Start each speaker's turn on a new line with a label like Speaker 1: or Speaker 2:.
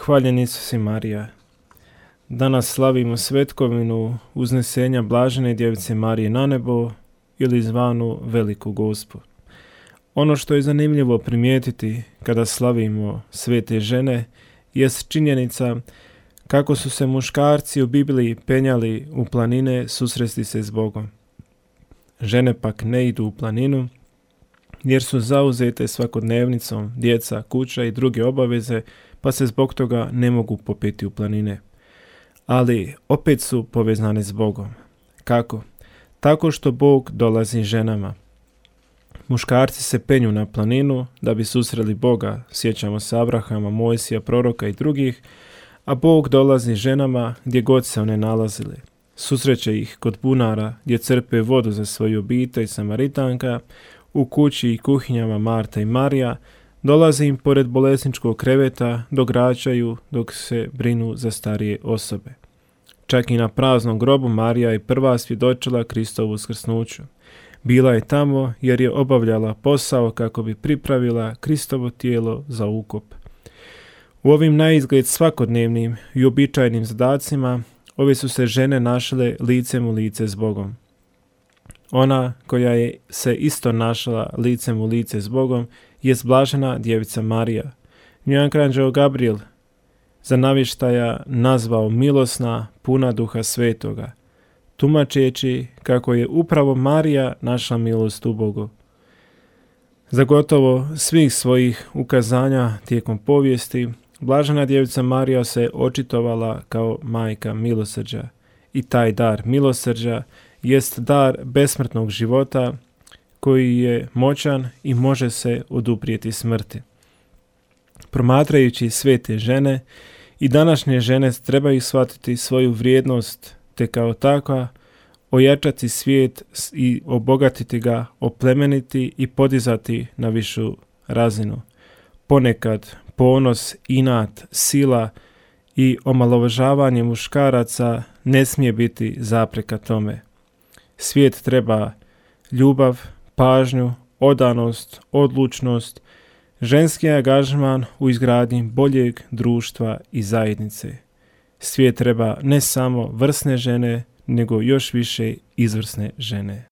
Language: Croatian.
Speaker 1: Hvaljen Isus i Marija. Danas slavimo svetkovinu uznesenja Blažene Djevice Marije na nebo ili zvanu Veliku Gospu. Ono što je zanimljivo primijetiti kada slavimo svete žene jest činjenica kako su se muškarci u Bibliji penjali u planine susresti se s Bogom. Žene pak ne idu u planinu jer su zauzete svakodnevnicom, djeca, kuća i druge obaveze, pa se zbog toga ne mogu popeti u planine. Ali opet su povezane s Bogom. Kako? Tako što Bog dolazi ženama. Muškarci se penju na planinu da bi susreli Boga, sjećamo se Abrahama, Mojsija, proroka i drugih, a Bog dolazi ženama gdje god se one nalazile. Susreće ih kod bunara gdje crpe vodu za svoju obitelj Samaritanka, u kući i kuhinjama Marta i Marija, dolaze im pored bolesničkog kreveta, dograđaju dok se brinu za starije osobe. Čak i na praznom grobu Marija je prva svjedočila Kristovu uskrsnuću. Bila je tamo jer je obavljala posao kako bi pripravila Kristovo tijelo za ukop. U ovim naizgled svakodnevnim i uobičajenim zadacima ove su se žene našle licem u lice s Bogom. Ona koja je se isto našla licem u lice s Bogom jest Blažena Djevica Marija. Nju je anđeo Gabriel za navještaja nazvao milosna, puna Duha Svetoga, tumačeći kako je upravo Marija našla milost u Bogu. Za gotovo svih svojih ukazanja tijekom povijesti, Blažena Djevica Marija se očitovala kao majka milosrđa i taj dar milosrđa jest dar besmrtnog života koji je moćan i može se oduprijeti smrti. Promatrajući svete žene i današnje žene trebaju shvatiti svoju vrijednost te kao takva ojačati svijet i obogatiti ga, oplemeniti i podizati na višu razinu. Ponekad ponos, inat, sila i omalovažavanje muškaraca ne smije biti zapreka tome. Svijet treba ljubav, pažnju, odanost, odlučnost, ženski angažman u izgradnji boljeg društva i zajednice. Svijet treba ne samo vrsne žene, nego još više izvrsne žene.